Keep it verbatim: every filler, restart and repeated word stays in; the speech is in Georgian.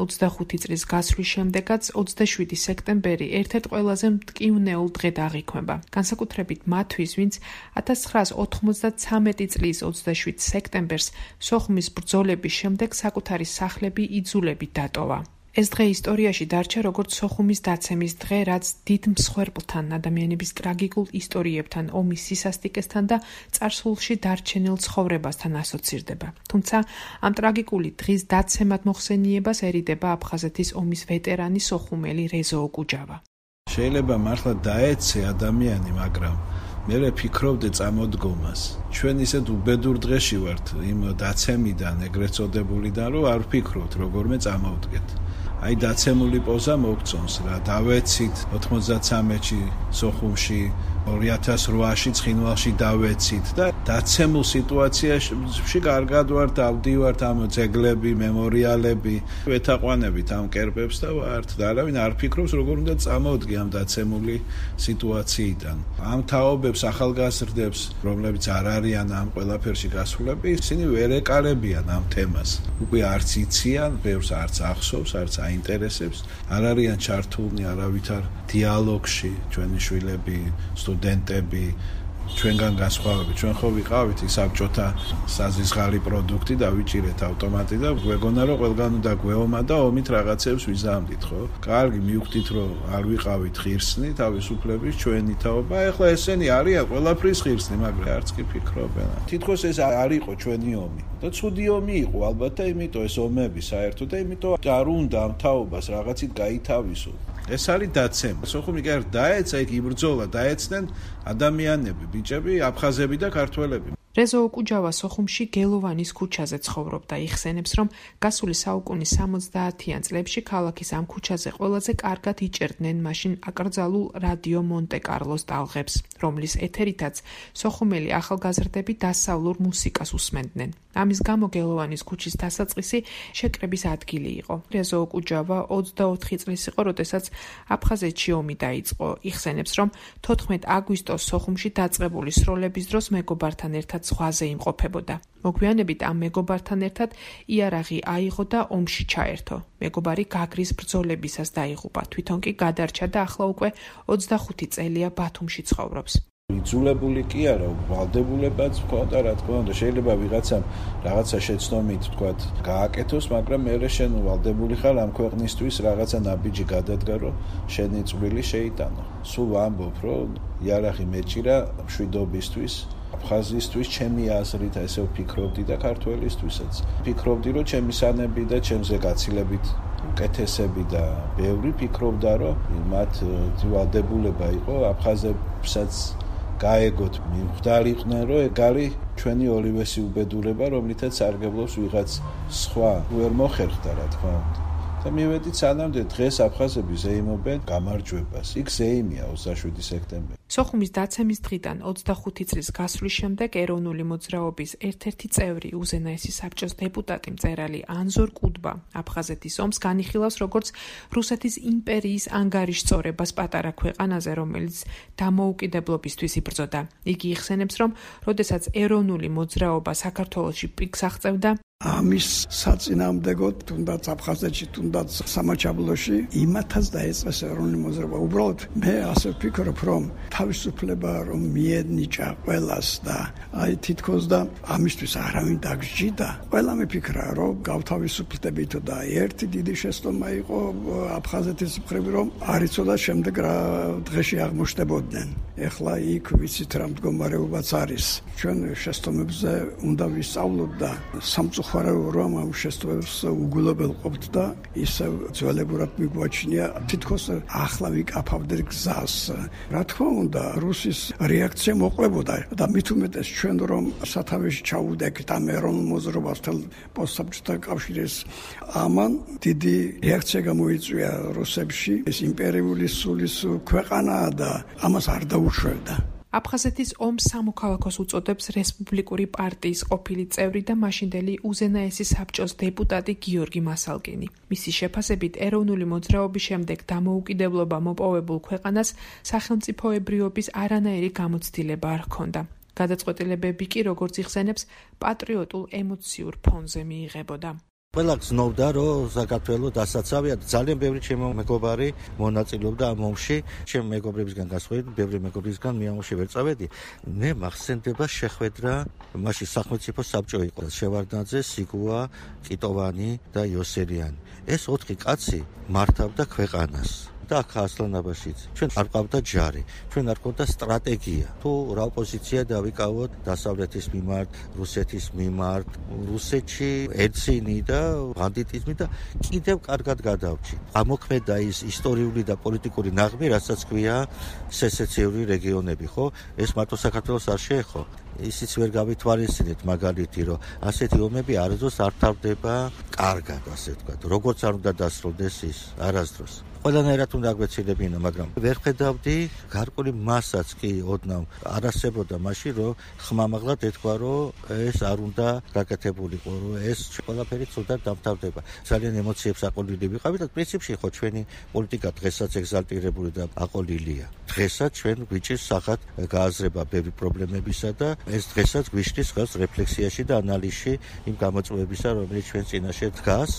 ოცდახუთი წლის გასვლის შემდეგაც ოცდაშვიდი სექტემბერი ერთ-ერთ ყველაზე მტკივნეულ დღედ აღიქვება. განსაკუთრებით მათთვის, ვინც ათას ცხრაას ოთხმოცდათვრამეტი წლის ოცდაშვიდ სექტემბერს სოხუმის ბრძოლების შემდეგ საკუთარი სახლები იძულებით დატოვა. ეს დღე ისტორიაში დარჩა როგორც სოხუმის დაცემის დღე, რაც დიდ მსხვერპლთან, ადამიანების ტრაგიკულ ისტორიებთან, ომის სისასტიკესთან და წარსულში დარჩენილ ცხოვრებასთან ასოცირდება. თუმცა ამ ტრაგიკული დღის დაცემად მოხსენიებას ერიდება აფხაზეთის ომის ვეტერანი სოხუმელი რეზო ოკუჯავა. შეიძლება მართლა დაეცე ადამიანი, მაგრამ მე ვფიქრობდი წამოდგომას. ჩვენ ისეთ უბედურ დღეში ვართ იმ დაცემიდან, ეგრეთ წოდებულიდან, რომ არ ვფიქრობთ როგორმე წამოვდგეთ. აი დაცემული პოზა მოგწონს რა, დავეცით ოთხმოცდათვრამეტში სოხუმში, ორი ათას რვაში ცხინვალში დავეცით და დაცემულ სიტუაციაში კარგად ვართ, დავდივართ ამ ძეგლები, მემორიალები, ვეთაყვანებით ამ კერპებს და ვართ და არავინ არ ფიქრობს როგორ უნდა წამოვდგე ამ დაცემული სიტუაციიდან. ამ თაობებს, ახალგაზრდებს, რომლებიც არ არიან ამ ყველაფერში გასულები, ისინი ვერ ეკარებიან ამ თემას. უკვე არც იციან, ბევრს არც ახსოვს, არც აინტერესებს, არ არიან ჩართულნი არავითარ დიალოგში, ჩვენი შვილები, სტუდენტები, ჩვენგან განსხვავებით, ჩვენ ხო ვიყავით საბჭოთა საზისხარი პროდუქტი და ვიჭირეთ ავტომატი და გვეგონა რომ ყველგან უნდა გვეომა და ომით რაღაცებს ვიზამდით, ხო? კარგი, მივხვდით რომ არ ვიყავით ღირსნი, თავისუფლების ჩვენი თაობა, ეხლა ესენი არიან ყველაფრის ღირსნი, მაგრამ არც კი ფიქრობენ. თითქოს ეს არ იყო ჩვენი ომი. და ცუდი ომი იყო ალბათ და იმიტომ ეს ომები საერთოდ და იმიტომ არ უნდა ამ თაობას რაღაცით გაითავისო. ეს არის დაცემა. სოხუმი კი არ დაეცა, იქ იბრძოლა, დაეცნენ ადამიანები, ბიჭები, აფხაზები და ქართველები. რეზო ოკუჯავა სოხუმში გელოვანის ქუჩაზე ცხოვრობდა, იხსენებს, რომ გასული საუკუნის სამოცდაათიან წლებში ქალაქის ამ ქუჩაზე ყველაზე კარგად იჭერდნენ მაშინ აკრძალულ რადიო მონტე-კარლოს ტალღებს, რომლის ეთერითაც სოხუმელი ახალგაზრდები დასავლურ მუსიკას უსმენდნენ. ამის გამო გელოვანის ქუჩის დასაწყისი შეკრების ადგილი იყო. რეზო ოკუჯავა ოცდაოთხი წლის იყო, როდესაც აფხაზეთში ომი დაიწყო. იხსენებს, რომ თოთხმეტ აგვისტოს სოხუმში დაწყებული სროლების დროს მეგობართან ერთად ზღვაზე იმყოფებოდა. მოგვიანებით ამ მეგობართან ერთად იარაღი აიღო და ომში ჩაერთო. მეგობარი გაგრის ბრძოლებისას დაიღუპა. თვითონ კი გადარჩა და ახლა უკვე ოცდახუთი წელია ბათუმში ცხოვრობს. იძულებული კი არა, ვალდებულებაც ხონდა, რა თქმა უნდა, შეიძლება ვიღაცამ რაღაცა შეცდომით თქვათ გააკეთოს, მაგრამ მერე შენ ვალდებული ხარ ამ ქვეყნისთვის რაღაცა ნაბიჯი გადადგა, რომ შენი წვლილი შეიტანო. სულ ვამბობ, რომ იარაღი მეჭირა მშვიდობისთვის, აფხაზისთვის, ჩემი აზრით ესე ვფიქრობდი და ქართველისთვისაც. ფიქრობდი, რომ ჩემი სანები და ჩემზე გაცილებით უკეთესები და ბევრი ფიქრობდა, რომ მათ ვალდებულება იყო აფხაზებსაც გაეგოთ, მივხვდარიყვნენ, რომ ეგ არის ჩვენი ორივესი უბედურება, რომლითაც სარგებლობს ვიღაც სხვა, ვერ მოხერხდა, რა თქმა უნდა. და მივედით სანამდე დღეს აფხაზები ზეიმობენ გამარჯვებას. იქ ზეიმია ოცდაშვიდი სექტემბერი. სოხუმის დაცემის დღიდან ოცდახუთი წლის გასვლის შემდეგ ეროვნული მოძრაობის ერთ-ერთი წევრი, უზენაესი საბჭოს დეპუტატი მწერალი ანზორ კუდბა აფხაზეთის ომს განიხილავს როგორც რუსეთის იმპერიის ანგარიშწორებას პატარა ქვეყანაზე, რომელიც დამოუკიდებლობისთვის იბრძოდა. იგი იხსენებს, რომ როდესაც ეროვნული მოძრაობა საქართველოში პიკს აღწევდა, ამის საწინააღმდეგოდ, თუნდაც აფხაზეთში, თუნდაც სამაჩაბლოში, იმათაც დაეწყეს ეროვნული მოძრაობა. უბრალოდ მე ასე ვფიქრობ, რომ თავისუფლება რომ მიენიჭა ყველას და აი თითქოს და ამისთვის არავინ დაგსჯიდა. ყველა მიფიქრა, რომ გავთავისუფლდებით და ერთი დიდი შეცდომა იყო აფხაზეთის მხრივ, რომ არ იცოდა შემდეგ რა დღეში აღმოჩნდებოდნენ. ეხლა იქ ვიცით რა მდგომარეობაც არის. ჩვენ შეცდომებზე უნდა ვისწავლოთ და სამწუხაროდ რომ ამ შეცდომებს უგულებელყოფთ და ისევ ძველებურად მიგვაჩნია თითქოს ახლა ვიკაფავდეთ გზას. რა თქმა უნდა, რუსის რეაქცია მოყლებოდა და მით უმეტეს ჩვენ რომ სათავეში ჩავუდექით ამ ეროვნულ მოძრაობას თელ პოსტსაბჭოთა კავშირის ამან დიდი რეაქცია გამოიწვია რუსებში. ეს იმპერიული სულის ქვეყანაა და ამას არ დაუშვებდა. აფხაზეთის ომს სამოქალაქოს უწოდებს რესპუბლიკური პარტიის ყოფილი წევრი და მაშინდელი უზენაესი საბჭოს დეპუტატი გიორგი მასალკინი. მისი შეფასებით ეროვნული მოძრაობის შემდეგ დამოუკიდებლობა მოპოვებულ ქვეყანას სახელმწიფოებრიობის არანაირი გამოცდილება არ ჰქონდა. გადაწყვეტილებები კი, როგორც იხსენებს, პატრიოტულ ემოციურ ფონზე მიიღებოდა. ყველა გზნობდა, რომ საქართველოს დასაცავია. ძალიან ბევრი ჩემო მეგობარი მონაწილეობდა ამ ომში. ჩემ მეგობრებისგან გასხვედრით, ბევრი მეგობრისგან მე ამაში ვერ წავედი. მე მახსენდება შეხვედრა, მაშინ სახელმწიფო საბჭო იყო. შევარდნაძე, სიგუა, კიტოვანი და იოსელიანი. ეს ოთხი კაცი მართავდა ქვეყანას. და აქ ასლანაბაშიც ჩვენ არ ყავდა ჯარი, ჩვენ არ ყავდა სტრატეგია. თუ რა ოპოზიცია დავიკავოთ დასავლეთის მიმართ, რუსეთის მიმართ, რუსეთში ერცინი და ბანდიტიზმი და კიდევ კარგად გადავჭი. ამოქმედა ის ისტორიული და პოლიტიკური ნაღმი, რასაც ქვია სესეციური რეგიონები, ხო? ეს მარტო საქართველოს არ შეეხო. ისიც ვერ გავითვალისწინეთ მაგალითი, რომ ასეთი ომები არასდროს არ თავდება კარგად, ასე ვთქვათ. როგორც არ უნდა დასრულდეს ის არასდროს. ყველანაირად უნდა აგვეცილებინა, მაგრამ ვერ ხედავდი გარკვეული მასაც კი ოდნავ არ არსებობდა მაშინ, რომ ხმამაღლად ეთქვა, რომ ეს არ უნდა გაკეთებულიყო, რომ ეს ყველაფერი ცუდად დამთავრდება. ძალიან ემოციებს აყოლილი ვიყავით და პრინციპში ხო ჩვენი პოლიტიკა დღესაც ეგზალტირებული და აყოლილია. დღესაც ჩვენ გვიჭირს სახად გააზრება ბევრი პრობლემებისა და ეს დღესაც გვიშლის ხელს რეფლექსიაში და ანალიზში იმ გამოწვევებისა, რომელიც ჩვენ წინაშე დგას.